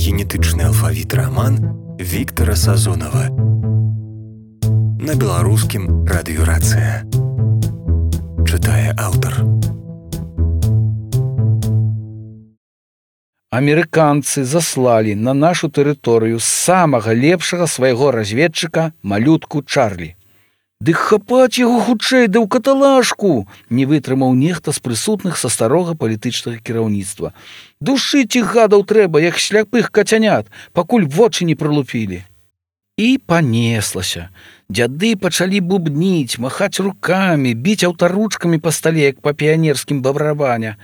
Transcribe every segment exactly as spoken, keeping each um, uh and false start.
генетычны алфавіт раман Віктара Сазонава. На беларускім радыёрацыя. Чытае аўтар. Амерыканцы заслалі на нашу тэрыторыю самага лепшага свайго разведчыка малютку Чарлі. Дык хапаць яго хутчэй да ў каталажку, не вытрымаў нехта з прысутных са старога палітычнага кіраўніцтва. Душыць іх гадаў трэба, як сляпых кацянят, пакуль вочы не прылупілі. І панеслася. Дзяды пачалі бубніць, махаць рукамі, біць аўтаручкамі па стале, як па піянерскім барабаня.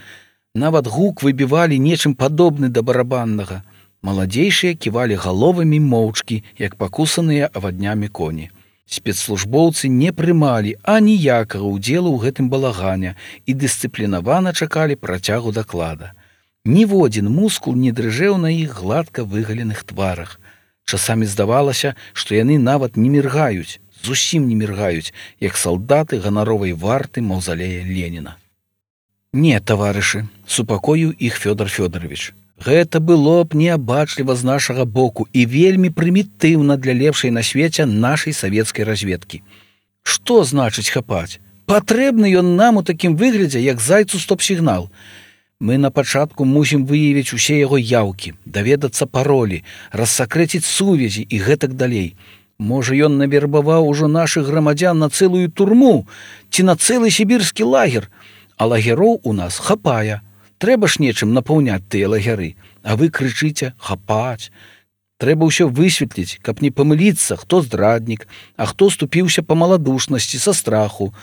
Нават гук выбівалі нечым падобны да барабаннага. Маладзейшыя ківалі галовамі моўчкі, як пакусаныя аваднямі коні. Спецслужбоўцы не прымалі аніякага ўдзелу ў гэтым балагане і дысцыплінавана чакалі працягу даклада. Ніводзін мускул не дрыжэў на іх гладка выгаленых тварах. Часамі здавалася, што яны нават не міргаюць, зусім не міргаюць, як салдаты ганаровай варты маўзалея Леніна. Не, таварышы, супакоіў іх Фёдор Фёдорович. Гэта было б неабачліва з нашага боку і вельмі прымітыўна для лепшай на свеце нашай савецкай разведкі. Што значыць хапаць? Патрэбны ён нам у такім выглядзе, як зайцу стоп-сігнал. Мы на пачатку мусім выявіць усе яго яўкі, даведацца паролі, рассакрэціць сувязі і гэтак далей. Можа, ён навербаваў ужо нашых грамадзян на цэлую турму ці на цэлы сібірскі лагер, а лагероў у нас хапае. Трэба ж нечым напаўняць тыя лагеры, а вы крычыце «хапаць». Трэба ўсё высветліць, каб не памыліцца, хто здраднік, а хто ступіўся па маладушнасці са страху.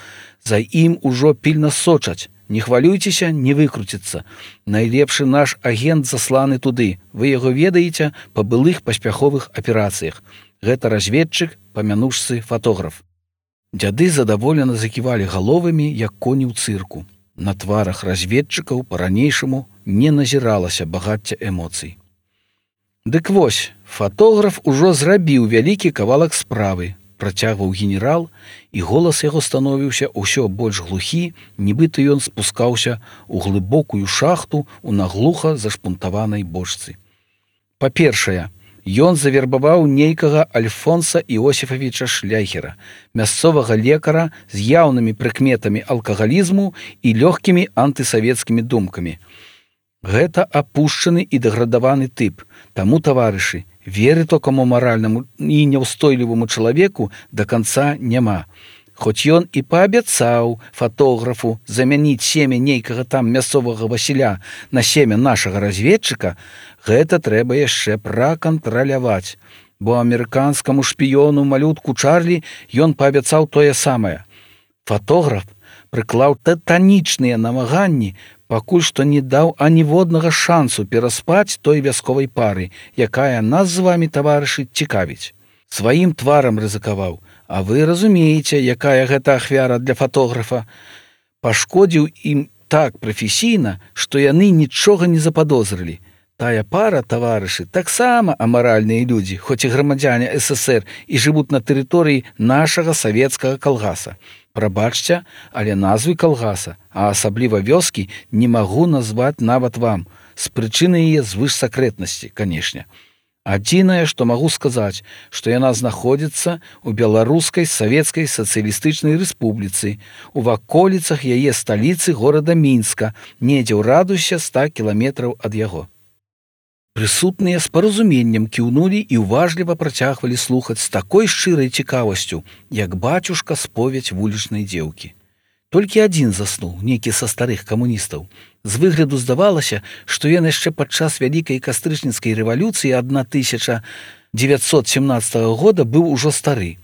За ім ужо пільна сочаць. Не хвалюйцеся, не выкруціцца. Найлепшы наш агент засланы туды. Вы яго ведаеце па былых паспяховых аперацыях. Гэта разведчык, памянушцы фатограф. Дзяды задаволена заківалі галовамі, як коні ў цырку. На тварах разведчыкаў па-ранейшаму не назіралася багацця эмоцый. Дык вось, фатограф ужо зрабіў вялікі кавалак справы, працягваў генерал, і голас яго становіўся ўсё больш глухі, нібыта ён спускаўся ў глыбокую шахту ў наглуха зашпунтаванай бочцы. Па-першае, ён завербаваў нейкага Альфонса Іосіфавіча Шляхера, мясцовага лекара з яўнымі прыкметамі алкагалізму і лёгкімі антысавецкімі думкамі. Гэта апушчаны і дэградаваны тып, таму, таварышы, веры токаму маральнаму і няўстойліваму чалавеку да канца няма. Хоць ён і паабяцаў фатографу замяніць семя нейкага там мясцовага Васіля на семя нашага разведчыка, гэта трэба яшчэ пракантраляваць, бо амерыканскаму шпіёну малютку Чарлі ён паабяцаў тое самае. Фатограф прыклаў тытанічныя намаганні, пакуль што не даў аніводнага шансу пераспаць той вясковай пары, якая нас з вамі, таварышы, цікавіць. Сваім тварам рызыкаваў, а вы разумееце, якая гэта ахвяра для фатографа. Пашкодзіў ім так прафесійна, што яны нічога не западозрылі. Тая пара, таварышы, таксама амаральныя людзі, хоць і грамадзяне эс эс ер і жывуць на тэрыторыі нашага савецкага калгаса. Прабачце, але назвы калгаса, а асабліва вёскі, не магу назваць нават вам, з прычыны яе звышсакрэтнасці, канешне. Адзінае, што магу сказаць, што яна знаходзіцца ў Беларускай Савецкай Сацыялістычнай Рэспубліцы, у ваколіцах яе сталіцы горада Мінска, недзе ў радыусе ста кіламетраў ад яго. Прысутныя з паразуменнем кіўнулі і ўважліва працягвалі слухаць з такой шчырай цікавасцю, як бацюшка споведь вулічнай дзеўкі. Толькі адзін заснуў, нейкі са старых камуністаў. З выгляду здавалася, што ён яшчэ падчас вялікай кастрычніцкай рэвалюцыі тысяча дзевяцьсот семнаццатага года быў ужо стары.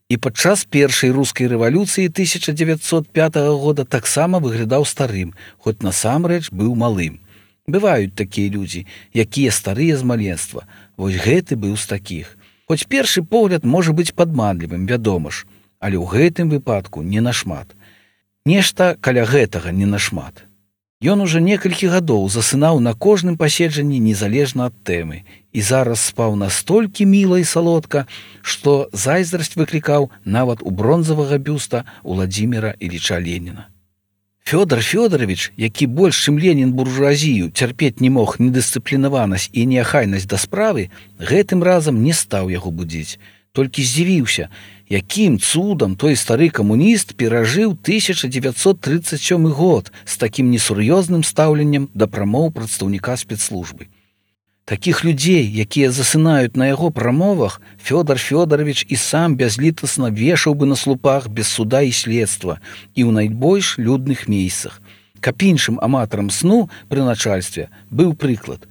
І падчас першай рускай рэвалюцыі тысяча дзевяцьсот пятага года таксама выглядаў старым, хоць насамрэч быў малым. Бываюць такія людзі, якія старыя з маленства. Вось гэты быў з такіх. Хоць першы погляд можа быць падманлівым, вядома ж, але ў гэтым выпадку не нашмат. Нешта каля гэтага не нашмат. Ён ужо некалькі гадоў засынаў на кожным паседжанні незалежна ад тэмы і зараз спаў настолькі міла і салодка, што зайздрасць выклікаў нават у бронзавага бюста Уладзіміра Іліча Леніна. Фёдор Фёдорович, які больш чым Ленін буржуазію цярпець не мог недысцыплінаванасць і неахайнасць да справы, гэтым разам не стаў яго будзіць. Толькі здзівіўся, якім цудам той стары камуніст перажыў тысяча дзевяцьсот трыццаць сёмы год з такім несур'ёзным стаўленнем да прамоў прадстаўніка спецслужбы. Такіх людзей, якія засынаюць на яго прамовах, Фёдор Фёдорович і сам бязлітасна вешаў бы на слупах без суда і следства і ў найбольш людных месцах. Каб іншым аматарам сну пры начальстве быў прыклад.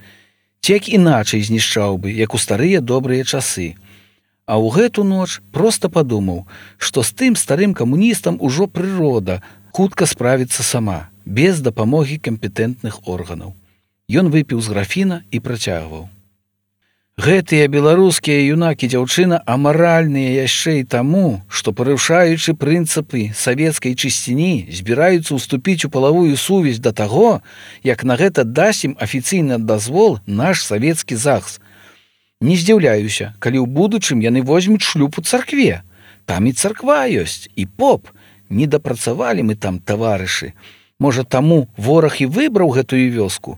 Цек іначай знішчаў бы, як у старыя добрыя часы. А ў гэту ноч проста падумаў, што з тым старым камуністам ужо прырода хутка справіцца сама, без дапамогі кампетэнтных органаў. Ён выпіў з графіна і працягваў. Гэтыя беларускія юнакі дзяўчына амаральныя яшчэ і таму, што, парушаючы прынцыпы савецкай чысціні, збіраюцца ўступіць у палавую сувязь да таго, як на гэта дасць ім афіцыйны дазвол наш савецкі ЗАГС. Не здзіўляюся, калі ў будучым яны возьмуць шлюб у царкве. Там і царква ёсць, і поп. Не дапрацавалі мы там, таварышы. Можа, таму вораг і выбраў гэтую вёску.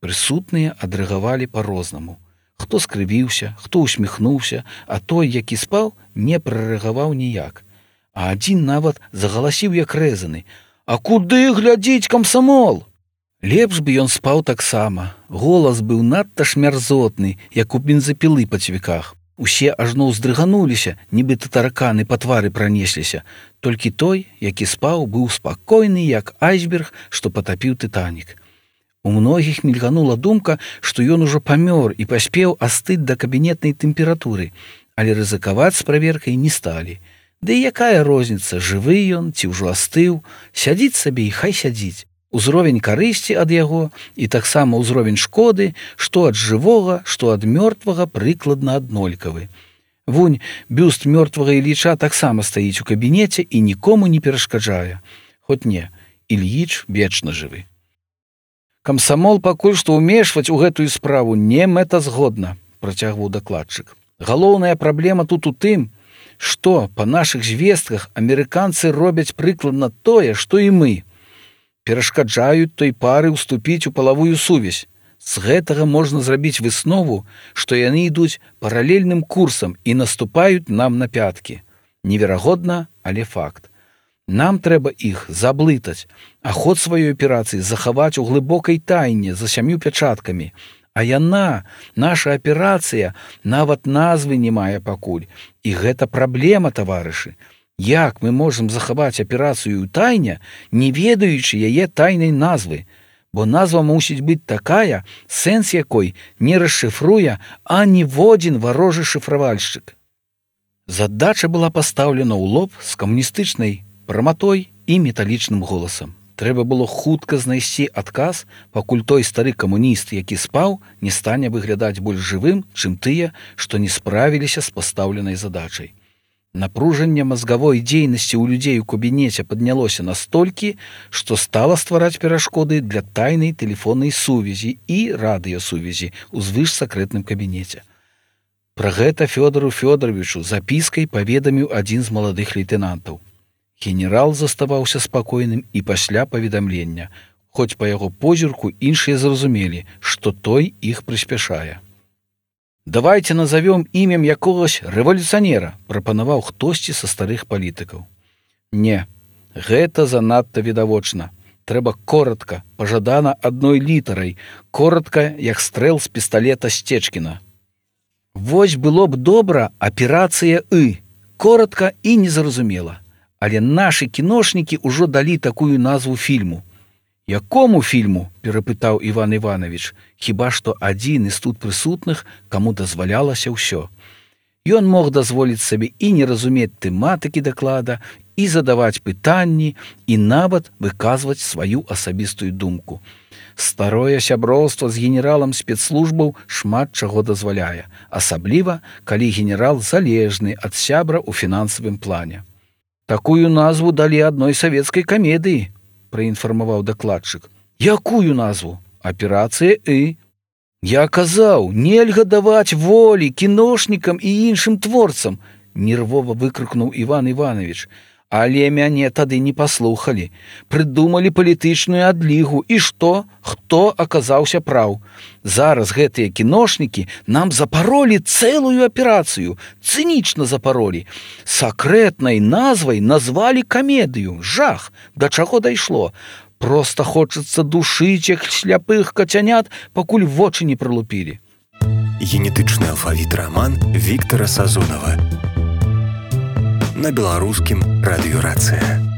Прысутныя адрэагавалі па-рознаму. Хто скрывіўся, хто усміхнуўся, а той, які спаў, не прарэагаваў ніяк. А адзін нават загаласіў як рэзаны: «А куды глядзіць камсамол?» Лепш бы ён спаў таксама. Голас быў надта ж мярзотны, як у бензапілы па цвіках. Усе ажно ўздрыгануліся, нібыта тараканы па твары пранесліся. Толькі той, які спаў, быў спакойны, як айсберг, што патапіў Тытанік. У многіх мільганула думка, што ён ужо памёр і паспеў астыць да кабінетнай тэмпературы, але рызыкаваць з праверкай не сталі. Ды і якая розніца, жывы ён ці ўжо астыў, сядзіць сабе і хай сядзіць. Узровень карысці ад яго і таксама ўзровень шкоды, што ад жывога, што ад мёртвага прыкладна аднолькавы. Вунь, бюст мёртвага Ілліча таксама стаіць у кабінеце і нікому не перашкаджае. Хоць не, Ільіч вечна жывы. Камсамол пакуль што ўмешваць у гэтую справу не мэтазгодна, працягваў дакладчык. Галоўная праблема тут у тым, што па нашых звестках амерыканцы робяць прыкладна тое, што і мы. Перашкаджаюць той пары ўступіць у палавую сувязь. З гэтага можна зрабіць выснову, што яны ідуць паралельным курсам і наступаюць нам на пяткі. Неверагодна, але факт. Нам трэба іх заблытаць, а ход сваёй аперацыі захаваць у глыбокай тайне за сям'ю пячаткамі. А яна, наша аперацыя, нават назвы не мае пакуль. І гэта праблема, таварышы. Як мы можам захаваць аперацыю ў тайне, не ведаючы яе тайнай назвы? Бо назва мусіць быць такая, сэнс якой не расшыфруе аніводзін варожы шыфравальшчык. Задача была пастаўлена ў лоб з камуністычнай праматой і металічным голасам. Трэба было хутка знайсці адказ, пакуль той стары камуніст, які спаў, не стане выглядаць больш жывым, чым тыя, што не справіліся з пастаўленай задачай. Напружанне мазгавой дзейнасці ў людзей у кабінеце паднялося настолькі, што стала ствараць перашкоды для тайнай тэлефоннай сувязі і радыёсувязі ў звышсакрэтным кабінеце. Пра гэта Фёдору Фёдоровичу запіскай паведаміў адзін з маладых лейтэнантаў. Генерал заставаўся спакойным і пасля паведамлення, хоць па яго позірку іншыя зразумелі, што той іх прыспяшае. «Давайте назовем імем якогось рэвалюцыянера», прапанаваў хтосьці са старых палітыкаў. «Не, гэта занадта відавочна. Трэба коротка, пажадана адной літарай, коротка, як стрэл з пісталета Сцечкіна. Вось было б добра аперацыя «И», коротка і незразумела. Але нашы кіношнікі ўжо далі такую назву фільму. «Якому фільму?» – перапытаў Іван Іванович, хіба што адзін з тут прысутных, каму дазвалялася ўсё. Ён мог дазволіць сабе і не разумець тэматыкі даклада, і задаваць пытанні, і нават выказваць сваю асабістую думку. Старое сяброўства з генералам спецслужбаў шмат чаго дазваляе, асабліва, калі генерал залежны ад сябра ў фінансавым плане. «Такую назву далі адной савецкай камедыі», – праінфармаваў дакладчык. «Якую назву? Аперацыя «И». Я казаў, нельга даваць волі кіношнікам і іншым творцам», – нервова выкрыкнуў Іван Іванович. Але мяне тады не паслухалі. Прыдумалі палітычную адлігу. І што? Хто аказаўся праў? Зараз гэтыя кіношнікі нам запаролі цэлую аперацыю. Цынічна запаролі. Сакрэтнай назвай назвалі камедыю. Жах! Да чаго дайшло? Проста хочацца душыць іх сляпых кацянят, пакуль вочы не прылупілі. Генетычны алфавіт раман Віктара Сазонава. На беларускім радыёрацыя.